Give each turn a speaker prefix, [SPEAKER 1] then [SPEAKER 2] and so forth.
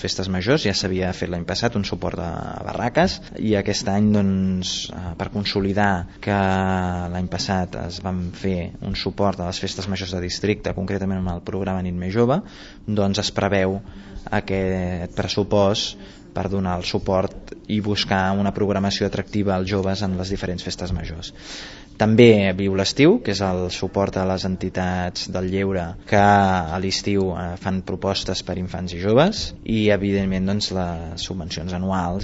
[SPEAKER 1] festes majors. Ja s'havia fet l'any passat un suport a barraques i aquest any, doncs, per consolidar que l'any passat es van fer un suport a les festes majors de districte, concretament amb el programa Nit Més Jove, doncs es preveu aquest pressupost per donar el suport i buscar una programació atractiva als joves en les diferents festes majors. També Viu l'Estiu, que és el suport a les entitats del lleure que a l'estiu fan propostes per infants i joves, i evidentment doncs, les subvencions anuals